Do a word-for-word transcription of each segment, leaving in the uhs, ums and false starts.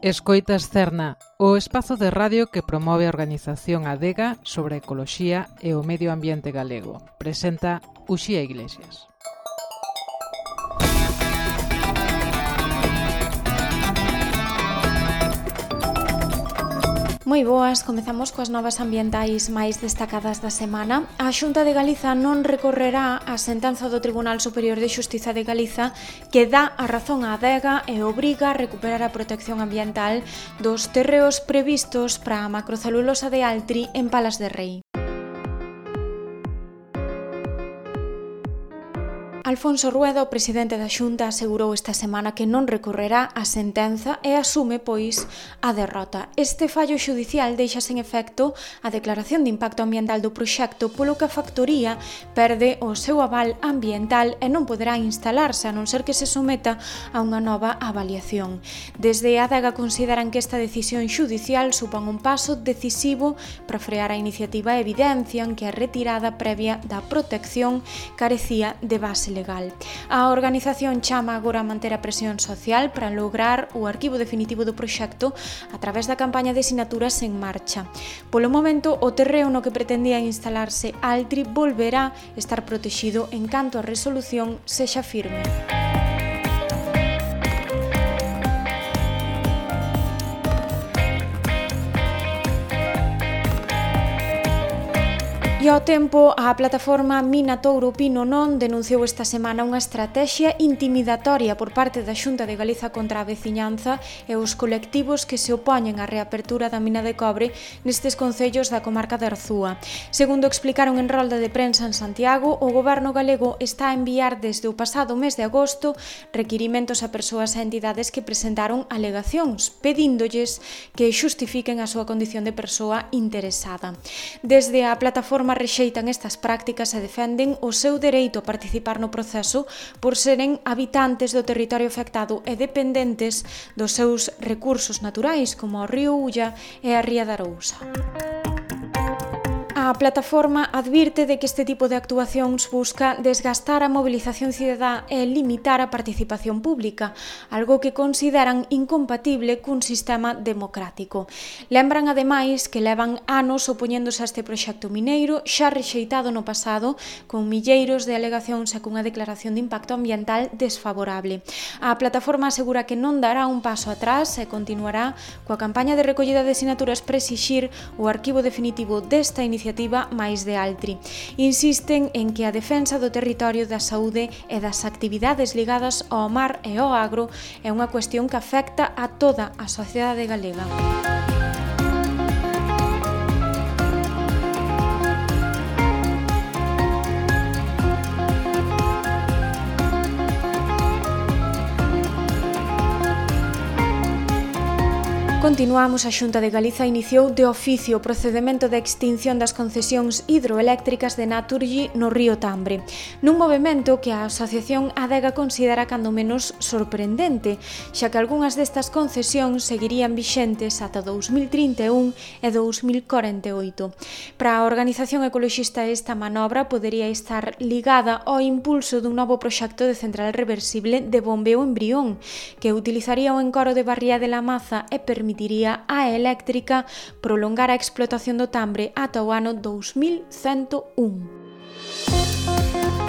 Escoitas Cerna, o espazo de radio que promove a organización Adega sobre a ecoloxía e o medio ambiente galego. Presenta Uxía Iglesias. Moi boas, comezamos coas novas ambientais máis destacadas da semana. A Xunta de Galiza non recorrerá a sentenza do Tribunal Superior de Xustiza de Galiza que dá a razón á Adega e obriga a recuperar a protección ambiental dos terreos previstos para a macrocelulosa de Altri en Palas de Rei. Alfonso Rueda, o presidente da Xunta, asegurou esta semana que non recorrerá a sentenza e asume, pois, a derrota. Este fallo xudicial deixa sen efecto a declaración de impacto ambiental do proxecto, polo que a factoría perde o seu aval ambiental e non poderá instalarse a non ser que se someta a unha nova avaliación. Desde a Adega consideran que esta decisión xudicial supón un paso decisivo para frear a iniciativa e evidencian que a retirada previa da protección carecía de base legal. Legal. A organización chama agora a manter a presión social para lograr o arquivo definitivo do proxecto a través da campaña de sinaturas en marcha. Polo momento, o terreo no que pretendía instalarse Altri volverá estar protexido en canto a resolución sexa firme. E ao tempo, a plataforma Mina Touro Pino Non denunciou esta semana unha estrategia intimidatoria por parte da Xunta de Galiza contra a veciñanza e os colectivos que se opoñen á reapertura da mina de cobre nestes concellos da comarca de Arzúa. Segundo explicaron en rolda de prensa en Santiago, o goberno galego está a enviar desde o pasado mes de agosto requirimentos a persoas e entidades que presentaron alegacións, pedíndolles que xustifiquen a súa condición de persoa interesada. Desde a plataforma rexeitan estas prácticas e defenden o seu dereito a participar no proceso por seren habitantes do territorio afectado e dependentes dos seus recursos naturais como o río Ulla e a ría da Arousa. A plataforma advirte de que este tipo de actuacións busca desgastar a mobilización cidadá e limitar a participación pública, algo que consideran incompatible cun sistema democrático. Lembran ademais que levan anos opoñéndose a este proxecto mineiro xa rexeitado no pasado con milleiros de alegacións e cunha declaración de impacto ambiental desfavorable. A plataforma asegura que non dará un paso atrás e continuará coa campaña de recollida de sinaturas para exixir o arquivo definitivo desta iniciativa máis de Altri. Insisten en que a defensa do territorio, da saúde e das actividades ligadas ao mar e ao agro é unha cuestión que afecta a toda a sociedade galega. Continuamos, a Xunta de Galiza iniciou de oficio o procedemento de extinción das concesións hidroeléctricas de Naturgy no río Tambre, nun movimento que a Asociación Adega considera cando menos sorprendente, xa que algunhas destas concesións seguirían vixentes ata dous mil trinta e un e dous mil corenta e oito. Para a organización ecoloxista, esta manobra podería estar ligada ao impulso dun novo proxecto de central reversible de bombeo en Brión, que utilizaría o encoro de Barría de la Maza e permitiría permitiría á eléctrica prolongar a explotación do Tambre ata o ano dous mil cento un.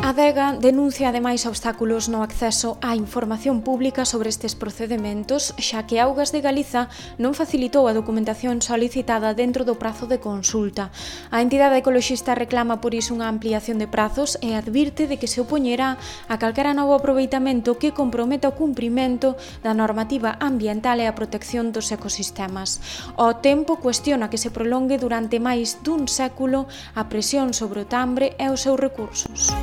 A Adega denuncia ademais obstáculos no acceso á información pública sobre estes procedementos, xa que Augas de Galiza non facilitou a documentación solicitada dentro do prazo de consulta. A entidade ecoloxista reclama por iso unha ampliación de prazos e advirte de que se opoñerá a calquera novo aproveitamento que comprometa o cumprimento da normativa ambiental e a protección dos ecosistemas. Ao tempo, cuestiona que se prolongue durante máis dun século a presión sobre o Tambre e os seus recursos.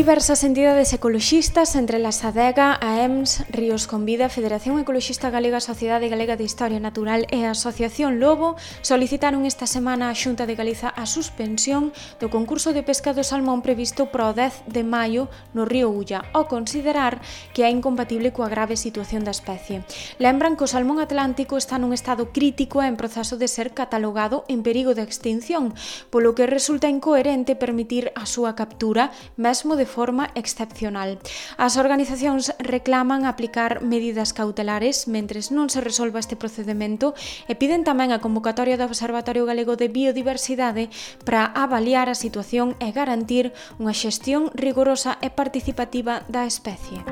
Diversas entidades ecoloxistas, entre las ADEGA, a E M S, Ríos con Vida, Federación Ecoloxista Galega, Sociedade Galega de Historia Natural e a Asociación Lobo, solicitaron esta semana á Xunta de Galiza a suspensión do concurso de pesca do salmón previsto para o dez de maio no río Ulla, ao considerar que é incompatible coa grave situación da especie. Lembran que o salmón atlántico está nun estado crítico e en proceso de ser catalogado en perigo de extinción, polo que resulta incoherente permitir a súa captura, mesmo de forma excepcional. As organizacións reclaman aplicar medidas cautelares mentres non se resolva este procedemento e piden tamén a convocatoria do Observatorio Galego de Biodiversidade para avaliar a situación e garantir unha xestión rigorosa e participativa da especie.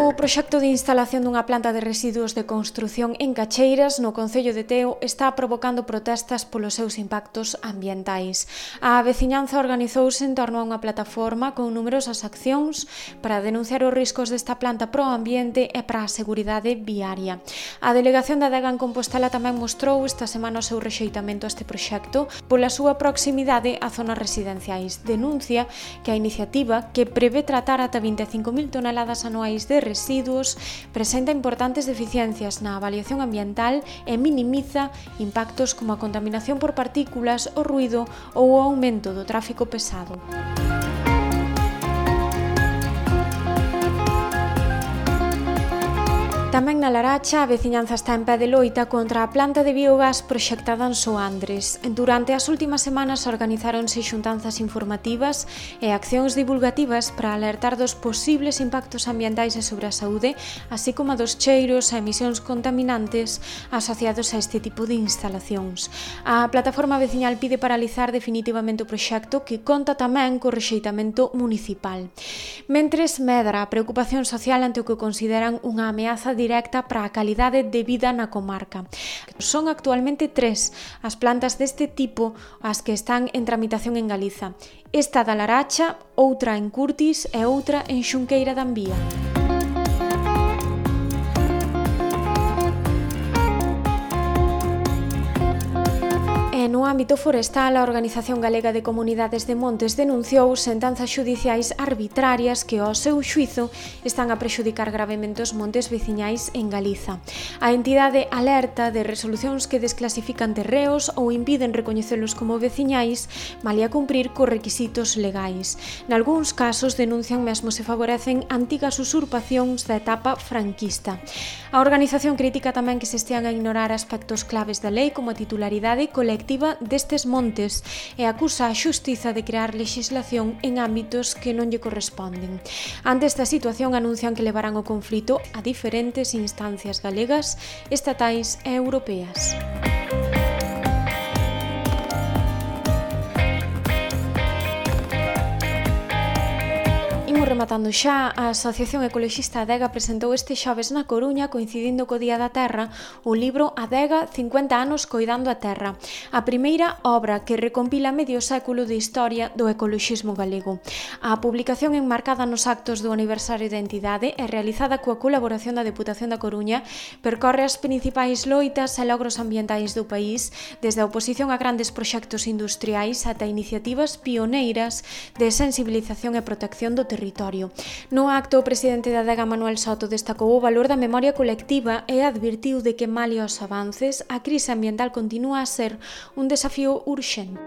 O proxecto de instalación dunha planta de residuos de construción en Cacheiras, no concello de Teo, está provocando protestas polos seus impactos ambientais. A veciñanza organizouse en torno a unha plataforma con numerosas accións para denunciar os riscos desta planta pro ambiente e para a seguridade viaria. A delegación da Adega en Compostela tamén mostrou esta semana o seu rexeitamento a este proxecto pola súa proximidade a zonas residenciais. Denuncia que a iniciativa, que prevé tratar ata vinte e cinco mil toneladas anuais de residuos, presenta importantes deficiencias na avaliación ambiental e minimiza impactos como a contaminación por partículas, o ruído ou o aumento do tráfico pesado. Tamén na Laracha, a veciñanza está en pé de loita contra a planta de biogás proxectada en Soandres. Durante as últimas semanas organizáronse xuntanzas informativas e accións divulgativas para alertar dos posibles impactos ambientais e sobre a saúde, así como a dos cheiros e emisións contaminantes asociados a este tipo de instalacións. A plataforma veciñal pide paralizar definitivamente o proxecto, que conta tamén co rexeitamento municipal. Mentres medra a preocupación social ante o que consideran unha ameaza directa para a calidade de vida na comarca. Son actualmente tres as plantas deste tipo as que están en tramitación en Galiza. Esta da Laracha, outra en Curtis e outra en Xunqueira da Ambía. No ámbito forestal, a Organización Galega de Comunidades de Montes denunciou sentanzas xudiciais arbitrarias que, ao seu xuízo, están a prexudicar gravemente os montes veciñais en Galiza. A entidade alerta de resolucións que desclasifican terreos ou impiden recoñecelos como veciñais, malia cumprir cos requisitos legais. Nalgúns casos denuncian mesmo se favorecen antigas usurpacións da etapa franquista. A organización critica tamén que se estean a ignorar aspectos claves da lei como a titularidade colectiva destes montes e acusa a xustiza de crear lexislación en ámbitos que non lle corresponden. Ante esta situación anuncian que levarán o conflito a diferentes instancias galegas, estatais e europeas. Rematando xa, a Asociación Ecoloxista Adega presentou este xoves na Coruña, coincidindo co Día da Terra, o libro Adega, cincuenta anos coidando a terra, a primeira obra que recompila medio século de historia do ecoloxismo galego. A publicación enmarcada nos actos do aniversario da entidade e realizada coa colaboración da Deputación da Coruña percorre as principais loitas e logros ambientais do país, desde a oposición a grandes proxectos industriais ata iniciativas pioneiras de sensibilización e protección do territorio. No acto, o presidente da Adega, Manuel Soto, destacou o valor da memoria colectiva e advirtiu de que, malia os avances, a crise ambiental continúa a ser un desafío urxente.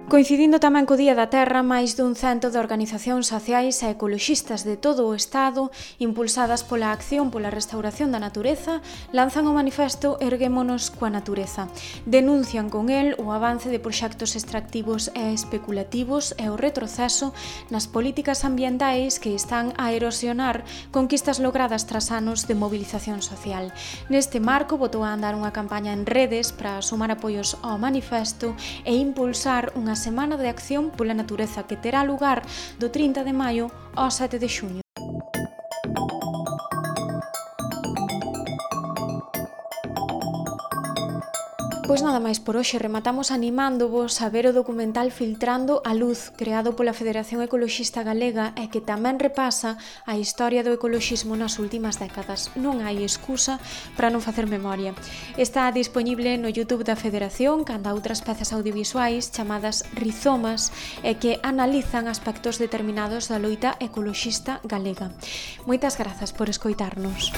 Coincidindo tamén co Día da Terra, máis dun cento de organizacións sociais e ecoloxistas de todo o Estado, impulsadas pola acción pola restauración da natureza, lanzan o manifesto Erguémonos coa natureza. Denuncian con el o avance de proxectos extractivos e especulativos e o retroceso nas políticas ambientais que están a erosionar conquistas logradas tras anos de movilización social. Neste marco, botou a andar unha campaña en redes para sumar apoios ao manifesto e impulsar unha Semana de Acción pola Natureza que terá lugar do trinta de maio ao sete de xuño. Pois nada máis por hoxe, rematamos animándovos a ver o documental Filtrando a Luz, creado pola Federación Ecoloxista Galega e que tamén repasa a historia do ecoloxismo nas últimas décadas. Non hai excusa para non facer memoria. Está dispoñible no YouTube da Federación, canda outras pezas audiovisuais chamadas Rizomas e que analizan aspectos determinados da loita ecoloxista galega. Moitas grazas por escoitarnos.